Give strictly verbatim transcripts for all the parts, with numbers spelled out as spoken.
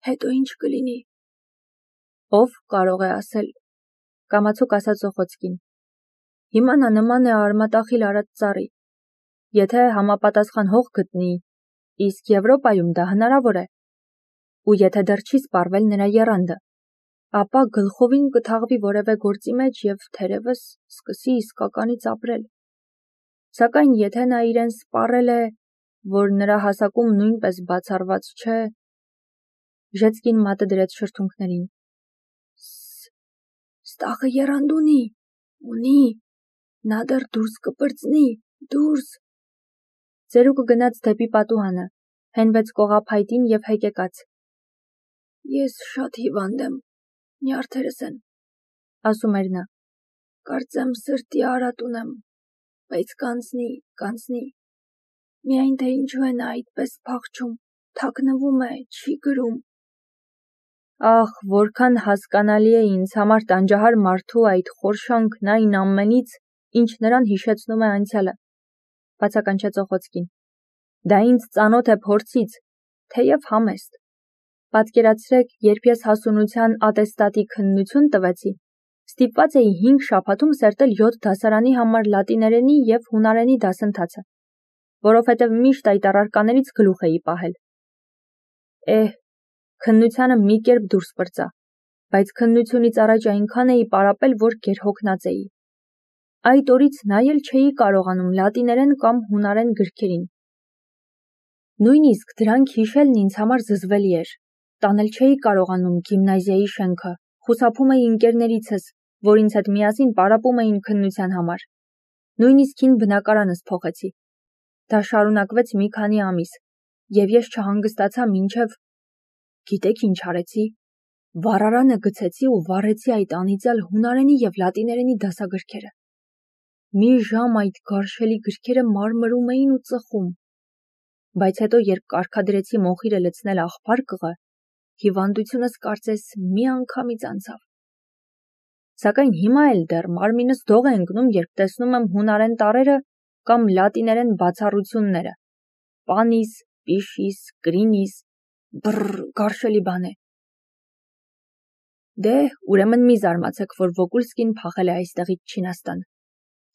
Հետո ինչ կլինի։ Ով կարող է ասել, կամացուկ ասաց Զոխոցկին։ Հիմա նա նման է արմատախիլ արած ծառի։ Եթե համապատասխան հող գտնի, իսկ Եվրոպայում դա հնարավոր է, ու եթե դեռ չի սպառվել նրա եռանդը, ապա գլխովին կթաղվի որևէ գործի մեջ և թերևս սկսի իսկականից ապրել։ Սակայն եթե նա իրեն սպառել է, որ նրա հասակում նույնպես բացառված չէ, Ժեցկին մատը դրեց շրթունքներին։ Ստախը եռանդ ունի, ունի, նա դեռ դուրս կպրծնի, դուրս։ Ծերուկը գնաց դեպի պատուհանը, հենվեց կողափայտին և հեկեկաց։ Ես շատ հիվանդ եմ, նյարդերս են, ասում էր նա, կարծեմ սրտի արատ ունեմ, բայց կանցնի, կանցնի, միայն թե ինչու է նա այդպես փախչում, թաքնվում է, չի գրում։ Ախ, որքան հասկանալի է ինձ համար տանջահար մարդու այդ խորշանքն այն ամենից, ինչ նրան հիշեցնում է անցյալը, բացականչեց Օխոցկին։ Դա ինձ ծանոթ է փորձից, թեև համեստ։ Պատկերացրեք, երբ ես հասունության ատեստատի քննություն տվեցի, ստիպված էի հինգ շաբաթում սերտել յոթ դասարանի համար լատիներենի և հունարենի դասընթացը, որովհետև միշտ այդ առարկաներից գլուխ էի պահել։ Էհ, քննությանը մի կերպ դուրս պրծա, բայց քննությունից առաջ այնքան էի պարապել, որ գերհոգնած էի։ Այդ օրից նայել չէի կարողանում լատիներեն կամ հունարեն գրքերին։ Նույնիսկ դրանք հիշելն ինձ համար զզվելի էր։ Տանել չէի կարողանում գիմնազիայի շենքը, խուսափում էի ընկերներիցս, որ ինձ հետ միասին պարապում էին քննության համար։ Նույնիսկ հին բնակարանս փոխեցի։ Դա շարունակվեց մի քանի ամիս, և ես չհանգստացա մինչև… Գիտեք ինչ արեցի։ Վառարանը գցեցի ու վառեցի այդ անիծյալ հունարենի և լատիներենի դասագրքերը։ Մի ժամ այդ գարշելի գրքերը մարմրում էին ու ծխում։ Բայց հետո, երբ կարգադրեցի մոխիրը լցնել աղբարկղը, հիվանդությունս կարծես մի անգամից անցավ։ Սակայն հիմա էլ դեռ մարմինս դող է ընկնում, երբ տեսնում եմ հունարեն տառերը կամ լատիներեն բացառությունները։ Պանիս, պիշիս, կրինիս, բռռ, գարշելի բան է։ Դե, ուրեմն մի զարմացեք, որ Վոկուլսկին փախել է այստեղից Չինաստան։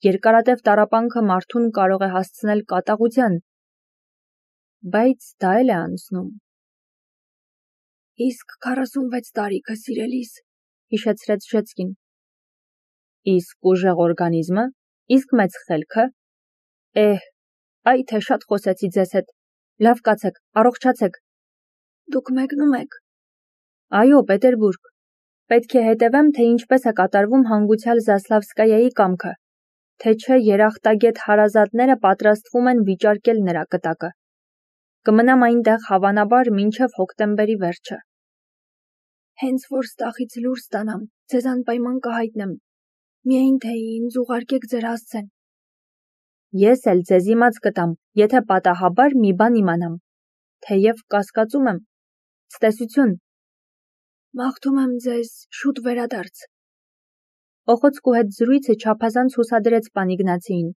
Երկարատև տառապանքը մարդուն կարող է հասցնել կատաղության, բայց դա էլ է անցնում։ Իսկ քառասունվեց տարիքը, սիրելիս, հիշեցրեց Ժեցկին։ Իսկ ուժեղ օրգանիզմը, իսկ մեծ խելքը։ Էհ, այ թե շատ խոսեցի ձեզ հետ։ Լավ կացեք, առողջացեք։ Դուք մեկնում եք։ Այո, Պետերբուրգ։ Պետք է հետևեմ, թե ինչպես է կատարվում հանգուցյալ Զասլավսկայայի կամքը, թե չէ երախտագետ հարազատները պատրաստվում են վիճարկել նրա կտակը։ Կմնամ այնտեղ հավանաբար մինչև հոկտեմբերի վերջը։ Հենց որ ստախից լուր ստանամ, ձեզ անպայման կհայտնեմ, միայն թե ինձ ուղարկեք ձեր հասցեն։ Ես էլ ձեզ իմաց կտամ, եթե պատահաբար մի բան իմանամ, թեև կասկածում եմ։ Ցտեսություն։ Մաղթում եմ ձեզ շուտ վերադարձ։ Օխոցկու հետ զրույցը չափազանց հուսադրեց պան Իգնացիին։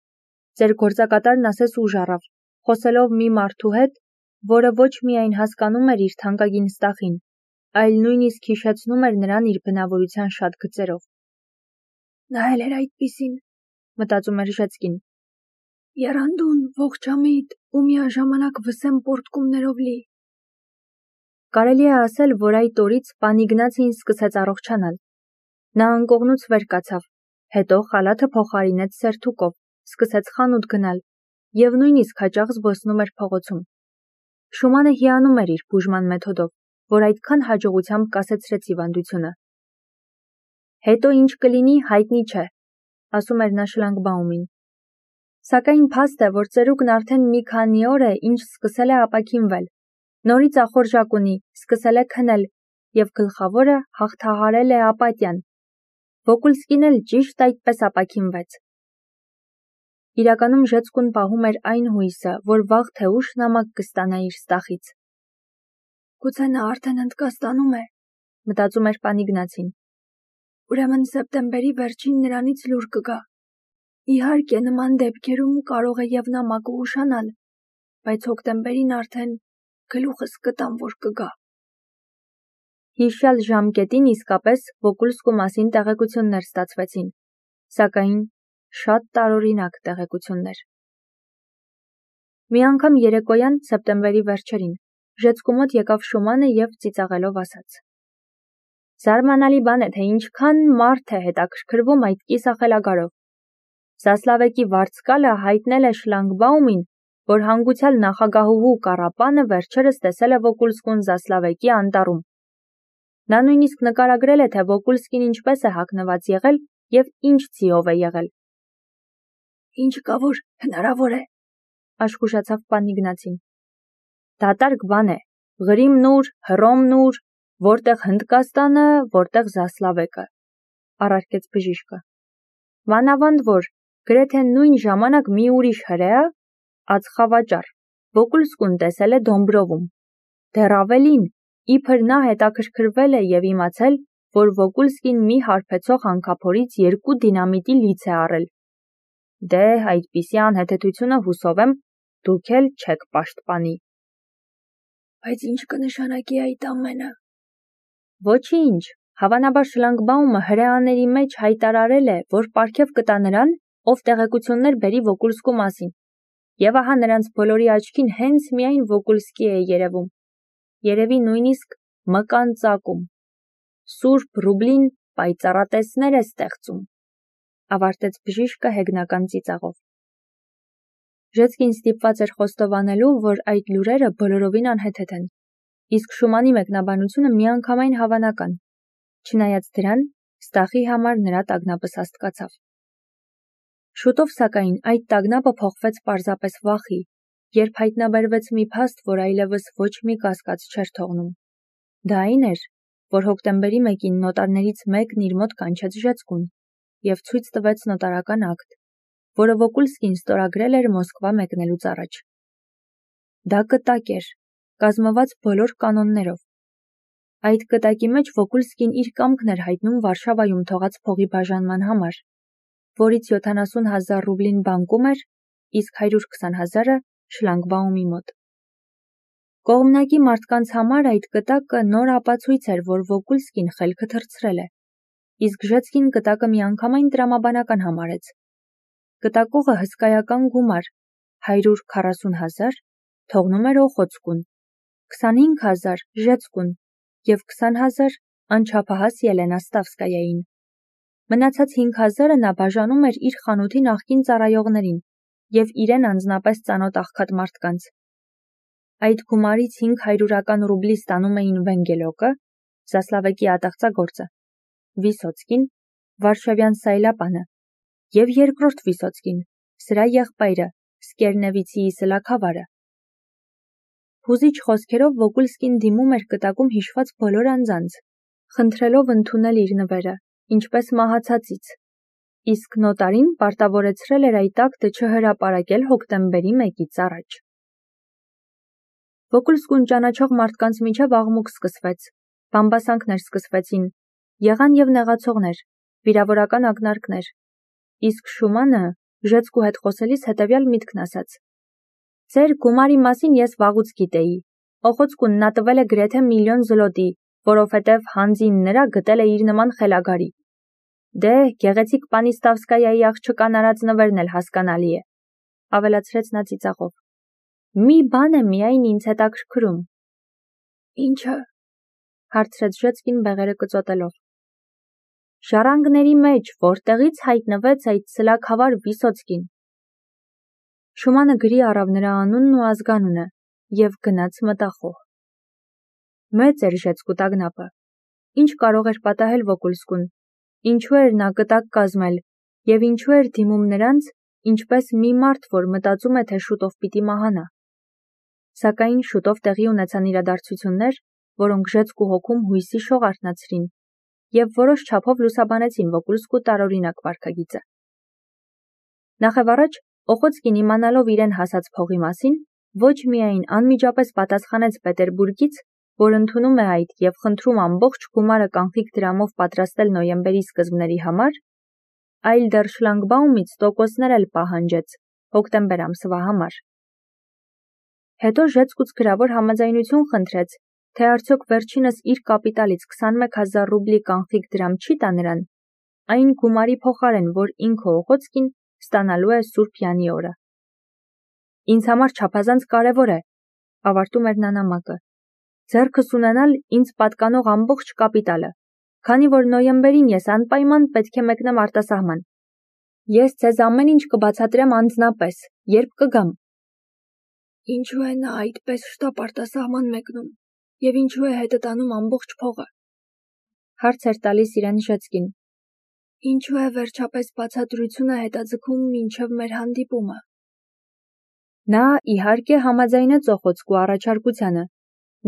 Ձեր գործակատարն ասես ուժ առավ, խոսելով մի մարդու հետ, որը ոչ միայն հասկանում էր իր թանկագին Ստախին, այլ նույնիսկ հիշեցնում էր նրան իր բնավորության շատ գծերով։ Նա էլ էր այդպիսին, մտածում էր Ժեցկին։ Եռանդուն, ողջամիտ ու միաժամանակ վսեմ պոռթկումներով լի։ Կարելի է ասել, որ այդ օրից պան Իգնացին սկսեց առողջանալ։ Նա անկողնուց վեր կացավ, հետո խալաթը փոխարինեց սերթուկով, սկսեց խանութ գնալ և նույնիսկ հաճախ զբոսնում էր փողոցում։ Շումանը հիանում էր իր բուժման մեթոդով, որ այդքան հաջողությամբ կասեցրեց հիվանդությունը։ Հետո ինչ կլինի, հայտնի չէ, ասում էր նա Շլանգբաումին։ Սակայն փաստ է, որ ծերուկն արդեն մի քանի օր է, ինչ սկսել է ապաքինվել, նորից ախորժակ ունի, սկսել է քնել և գլխավորը հաղթահարել է ապատիան։ Վոկուլսկին էլ ճիշտ այդպես ապաքինվեց։ Իրականում Ժեցկուն պահում էր այն հույսը, որ վաղ թե ուշ նամակ կստանա իր Ստախից։ Գուցե նա արդեն հնդկաստանում է, մտածում էր պան Իգնացին։ Ուրեմն սեպտեմբերի վերջին նրանից լուր կգա։ Իհարկե, նման դեպքերում կարող է և նամակը ուշանալ, բայց հոկտեմբերին արդեն գլուխս կտամ, որ կգա։ Հիշյալ ժամկետին իսկապես Վոկուլսկու մասին տեղեկություններ ստացվեցին, սակայն շատ տարօրինակ տեղեկություններ։ Մի անգամ երեկոյան սեպտեմբերի վերջերին Ժեցկու մոտ եկավ Շումանը և ծիծաղելով ասաց. «Զարմանալի բան է, թե ինչքան մարդ է հետաքրքրվում այդ կիսախելագարով։ Զասլավեկի վարձկալը հայտնել է Շլանգբաումին, որ հանգուցյալ նախագահուհու Կարապանը վերջերս տեսել է Վոկուլսկուն Զասլավեկի անտառում։ Նա նույնիսկ նկարագրել է, թե Վոկուլսկին ինչպես է հագնված եղել և ինչ ձիով է եղել»։ «Ինչ կա, որ հնարավոր է», աշխուժացավ պան Իգնացին։ «Դատարկ բան է, Ղրիմն ուր, Հռոմն ուր, որտեղ Հնդկաստանը, որտեղ Զասլավեկը», առարկեց բժիշկը։ «Մանավանդ որ գրեթե նույն ժամանակ մի ուրիշ հրեա, ածխավաճառ, Վոկուլսկուն տեսել է Դոմբրովում։ Դեռ ավելին, իբր նա հետաքրքրվել է և իմացել, որ Վոկուլսկին մի հարբեցող հանքափորից երկու դինամիտի լից է առել։ Դե, այդպիսի անհեթեթությունը հուսով եմ, դուք էլ չեք պաշտպանի»։ «Բայց ինչ կնշանակի այդ ամենը»։ «Ոչինչ, հավանաբար Շլանգբաումը հրեաների մեջ հայտարարել է, որ պարգև կտա նրան, ով տեղեկություններ բերի Վոկուլսկու մասին, և ահա նրանց բոլորի աչքին հենց միայն Վոկուլսկի է երևում, երևի նույնիսկ մկան ծակում։ Սուրբ Ռուբլին պայծառատեսներ է ստեղծում», ավարտեց բժիշկը հեգնական ծիծաղով։ Ժեցկին ստիպված էր խոստովանելու, որ այդ լուրերը բոլորովին անհեթեթ են, իսկ Շումանի մեկնաբանությունը միանգամայն հավանական, չնայած դրան, Ստախի համար նրա տագնապը սաստկացավ։ Շուտով, սակայն, այդ տագնապը փոխվեց պարզապես վախի, երբ հայտնաբերվեց մի փաստ, որ այլևս ոչ մի կասկած չէր թողնում։ Դա այն էր, որ հոկտեմբերի մեկին նոտարներից մեկն իր մոտ կանչեց Ժեցկուն և ցույց տվեց նոտարական ակտ, որը Վոկուլսկին ստորագրել էր Մոսկվա մեկնելուց առաջ։ Դա կտակ էր, կազմված բոլոր կանոններով։ Այդ կտակի մեջ Վոկուլսկին իր կամքն էր հայտնում Վարշավայում թողած փողի բաժանման համար, որից յոթանասուն հազար ռուբլին բանկում էր, իսկ հարյուր քսան հազարը Շլանգբաումի մոտ։ Կողմնակի մարդկանց համար այդ կտակը նոր ապացույց էր, որ Վոկուլսկին խելքը թռցրել է, իսկ Ժեցկին կտակը միանգամայն տրամաբանական համարեց։ Կտակողը հսկայական գումար, հարյուր քառասուն հազար, թողնում էր Օխոցկուն, քսանհինգ հազար Ժեցկուն և քսան հազար անչափահաս Ելենա Ստավսկայային։ Մնացած հինգ հազարը նա բաժանում էր իր խանութի նախկին ծառայողներին և իրեն անձնապես ծանոթ աղքատ մարդկանց։ Այդ գումարից հինգ հարյուրական ռուբլի ստանում էին Վենգելոկը, Զասլավեկի ատաղծագործը, Վիսոցկին, Վարշավյան Սայլապանը և երկրորդ Վիսոցկին, սրա եղբայրը, Սկերնևիցիի սլաքավարը։ Հուզիչ խոսքերով Վոկուլսկին դիմում էր կտակում հիշված բոլոր անձանց, խնդրելով ընդունել իր նվերը, ինչպես մահացածից, իսկ նոտարին պարտավորեցրել էր այդ ակտը չհրապարակել հոկտեմբերի մեկից առաջ։ Վոկուլսկուն ճանաչող մարդկանց միջև աղմուկ սկսվեց, բամբասանքներ սկսվեցին, եղան և նեղացողներ, վիրավորական ակնարկներ, իսկ Շումանը Ժեցկու հետ խոսելիս հետևյալ միտքն ասաց. «Ձեր գումարի մասին ես վաղուց գիտեի, Օխոցկուն նա տվել է գրեթե միլիոն զլոտի, որովհետև հանձին նրա գտել է իր նման խելագարի։ Դե, գեղեցիկ պանի Ստավսկայայի աղջկան արած նվերն էլ հասկանալի է», ավելացրեց նա ծիծաղով։ «Մի բան է միայն ինձ հետաքրքրում»։ «Ի՞նչը», հարցրեց Ժեցկին բեղերը կծոտելով։ «Ժառանգների մեջ որտեղից հայտնվեց այդ սլաքավար Վիսոցկին»։ Շումանը գրի առավ նրա անունն ու ազգանունը և գնաց մտախոհ։ Մեծ էր Ժեցկու տագնապը։ Ինչ կարող էր պատահել Վոկուլսկուն, ինչու էր նա կտակ կազմել և ինչու էր դիմում նրանց, ինչպես մի մարդ, որ մտածում է, թե շուտով պիտի մահանա։ Սակայն շուտով տեղի ունեցան իրադարձություններ, որոնք Ժեցկու հոգում հույսի շող արթնացրին և որոշ չափով լուսաբանեցին Վոկուլսկու տարօրինակ վարքագիծը։ Նախևառաջ Օխոցկին իմանալով իրեն հասած փողի մասին, ոչ միայն անմիջապես պատասխանեց Պետերբուրգից, որ ընդունում է այդ և խնդրում ամբողջ գումարը կանխիկ դրամով պատրաստել նոյեմբերի սկզբների համար, այլ դեռ Շլանգբաումից տոկոսներ էլ պահանջեց հոկտեմբեր ամսվա համար։ Հետո Ժեցկուց գրավոր համաձայնություն խնդրեց թե արդյոք վերջինս իր կապիտալից քսանմեկ հազար ռուբլի կանխիկ դրամ չի տա նրան, այն գումարի փոխարեն, որ ինքը Օղոցկին ստանալու է Սուրբ Յանի օրը։ Ինձ համար չափազանց կարևոր է, ավարտում էր նա նամակը, ձեռքս ունենալ ինձ պատկանող ամբողջ կապիտալը, քանի որ նոյեմբերին ես անպայման պետք է մեկնեմ արտասահման։ Ես ձեզ ամեն ինչ կբացատրեմ անձնապես, երբ կգամ։ Ինչու է նա այդպես շտապ արտասահման մեկնում, եւ ինչու է հետը տանում ամբողջ փողը։ Հարց էր տալիս իրեն Ժեցկին։ Ինչու է վերջապես բացատրությունը հետաձգում մինչև մեր հանդիպումը։ Նա իհարկե համաձայնեց Օխոցկու առաջարկությանը։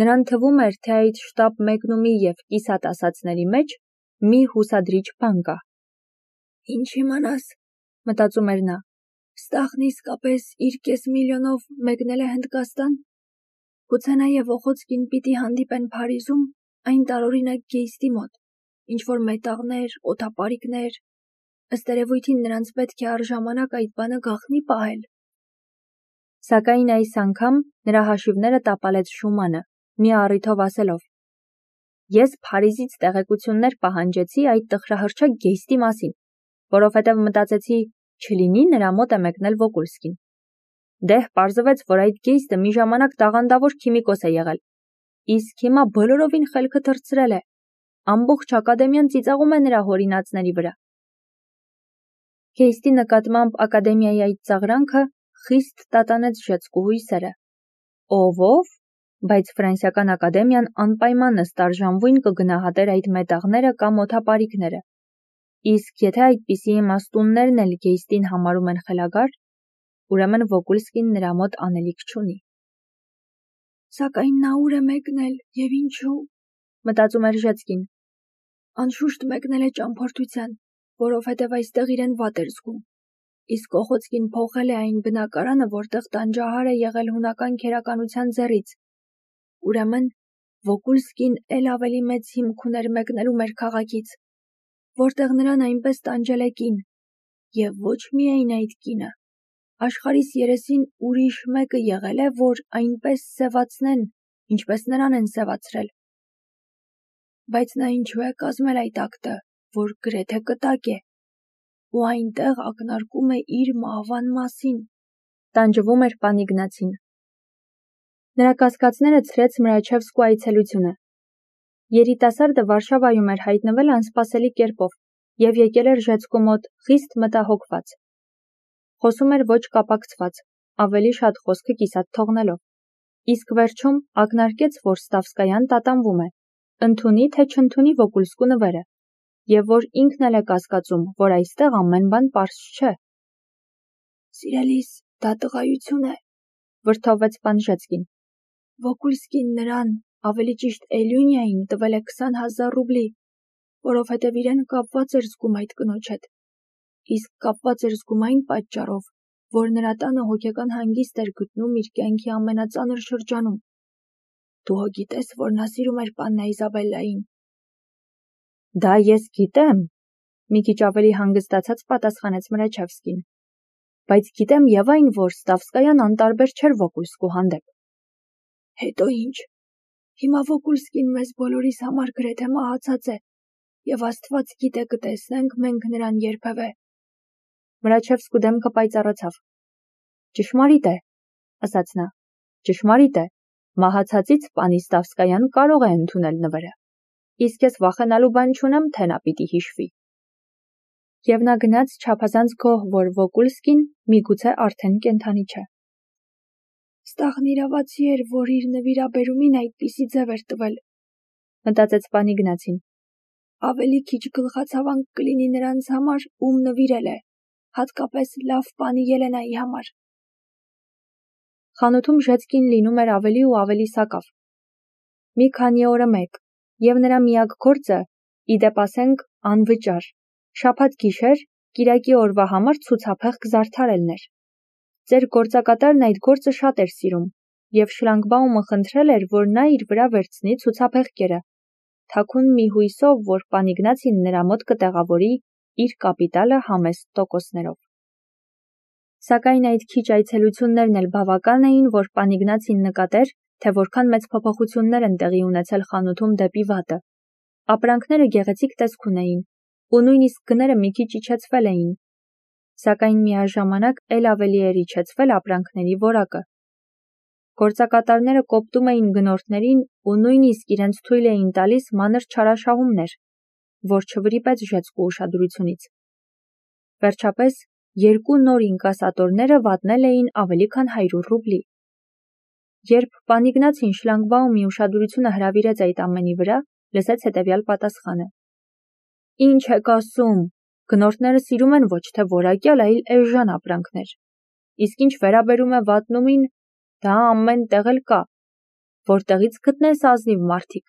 Նրան թվում էր, թե այդ շտապ մեկնումի եւ կիսատ ասածների մեջ մի հուսադրիչ բան կա։ Ինչ իմանաս, մտածում էր նա։ Ստախն իսկապես իր կես միլիոնով մեկնել է Հնդկաստան։ Գուցե նաև Օխոցկին պիտի հանդիպեն Փարիզում, այն տարօրինակ գեյստի մոտ, ինչ-որ մետաղներ, օդապարիկներ, ըստ երևույթին նրանց պետք է առժամանակ այդ բանը գաղտնի պահել։ Սակայն այս անգամ նրա հաշիվները տապալեց Շումանը, մի առիթով ասելով. Ես Փարիզից տեղեկություններ պահանջեցի այդ տխրահռչակ գեյստի մասին, որովհետև մտածեցի, չլինի նրա մոտ է մեկնել Վոկուլսկին։ Դեհ պարզվեց, որ այդ գեյստը մի ժամանակ տաղանդավոր քիմիկոս է եղել, իսկ հիմա բոլորովին խելքը թռցրել է, ամբողջ ակադեմիան ծիծաղում է նրա հորինածների վրա։ Գեյստի նկատմամբ ակադեմիայի այդ ծաղրանքը խիստ տատանեց Ժեցկու հույսերը։ Ով-ով, բայց Ֆրանսիական ակադեմիան անպայման ըստ արժանվույն կգնահատեր այդ մետաղները կամ օդապարիկները։ Իսկ եթե այդպիսի իմաստուններն էլ գեյստին համարում են խելագար, ուրեմն Վոկուլսկին նրա մոտ անելիք չունի։ Սակայն նա ուր է մեկնել եւ ինչու, մտածում էր Ժեցկին։ Անշուշտ մեկնել է ճամփորդության, որովհետև այստեղ իրեն վատ էր զգում։ Իսկ Օխոցկին փոխել է այն բնակարանը, որտեղ տանջահար է եղել հունական քերականության ձեռից։ Ուրեմն Վոկուլսկին էլ ավելի մեծ հիմք ուներ մեկնելու մեր քաղաքից, որտեղ նրան այնպես տանջել է կին, եւ ոչ միայն այդ կինը, աշխարհիս երեսին ուրիշ մեկը եղել է, որ այնպես սևացնեն, ինչպես նրան են սևացրել։ Բայց նա ինչու է կազմել այդ ակտը, որ գրեթե կտակ է, ու այնտեղ ակնարկում է իր մահվան մասին, տանջվում էր պան Իգնացին։ Նրա կասկածները ցրեց Մրաչևսկու այցելությունը։ Երիտասարդը Վարշավայում էր հայտնվել անսպասելի կերպով եւ եկել էր Ժեցկու մոտ խիստ մտահոգված։ Խոսում էր ոչ կապակցված, ավելի շատ խոսքը կիսատ թողնելով։ Իսկ վերջում ակնարկեց, որ Ստավսկայան տատանվում է, ընդունի թե չընդունի Վոկուլսկու նվերը, եւ որ ինքն էլ է կասկածում, որ այստեղ ամեն բան պարզ չէ։ Սիրելիս, դա տղայություն է, վրդովվեց պան Ժեցկին։ Վոկուլսկին նրան, ավելի ճիշտ Էլյունիային տվել է քսան հազար ռուբլի, որովհետև իրեն կապված էր զգում այդ կնոջ հետ։ Իսկ կապված էր զգում այն պատճառով, որ նրա տանը հոգեկան հանգիստ էր գտնում իր կյանքի ամենածանր շրջանում։ Դու հո գիտես, որ նա սիրում էր պաննա Իզաբելլային։ Դա ես գիտեմ, մի քիչ ավելի հանգստացած պատասխանեց Մրաչևսկին։ Բայց գիտեմ եւ այն, որ Ստավսկայան անտարբեր չէր Վոկուլսկու հանդեպ։ Հետո ինչ։ Հիմա Վոկուլսկին մեզ բոլորիս համար գրեթե մահացած է, եւ Աստված գիտե կտեսնենք մենք նրան երբևէ։ Մրաչևսկու դեմքը պայծառացավ։ Ճշմարիտ է, ասաց նա։ Ճշմարիտ է, մահացածից պանի Ստավսկայան կարող է ընդունել նվերը։ Իսկ ես վախենալու բան չունեմ, թե նա պիտի հիշվի։ Եվ նա գնաց չափազանց գոհ, որ Վոկուլսկին միգուցե արդեն կենդանի չէ։ Ստախն իրավացի էր, որ իր նվիրաբերումին այդպիսի ձև էր տվել, մտածեց պան Իգնացին։ Ավելի քիչ գլխացավանք կլինի նրանց համար, ում նվիրել է, հատկապես լավ պանի Ելենայի համար։ Խանութում Ժեցկին լինում էր ավելի ու ավելի սակավ։ Մի քանի օրը մեկ, եւ նրա միակ գործը, իդեպ ասենք, անվճար, շաբաթ գիշեր, կիրակի օրվա համար ցուցափեղկ զարդարելն էր։ Ձեր գործակատարն այդ գործը շատ էր սիրում, եւ Շլանգբաումը խնդրել էր, որ նա իր վրա վերցնի ցուցափեղկերը, թաքուն մի հույսով, որ պան Իգնացին նրա մոտ կտեղավորի իր կապիտալը համեստ տոկոսներով։ Սակայն այդ քիչ այցելություններն էլ բավական էին, որ պան Իգնացին նկատեր, թե որքան մեծ փոփոխություններ են տեղի ունեցել խանութում դեպի վատը։ Ապրանքները գեղեցիկ տեսք ունեին, ու նույնիսկ գները մի քիչ իջեցվել էին, սակայն միաժամանակ էլ ավելի էր իջեցվել ապրանքների որակը։ Գործակատարները կոպտում էին գնորդներին ու նույնիսկ իրենց թույլ էին տալիս մանր չարաշահումներ, որ չվրիպեց Ժեցկու ուշադրությունից։ Վերջապես, երկու նոր ինկասատորները վատնել էին ավելի քան հարյուր ռուբլի։ Երբ պան Իգնացին շլագբաումի ուշադրությունը հրավիրեց այդ ամենի վրա, լսեց հետևյալ պատասխանը. «Ինչ եք ասում, գնորդները սիրում են ոչ թե որակյալ, այլ էժան ապրանքներ, իսկ ինչ վերաբերում է վատնումին, դա ամեն տեղ էլ կա, որտեղից գտնես ազնիվ մարդիկ»։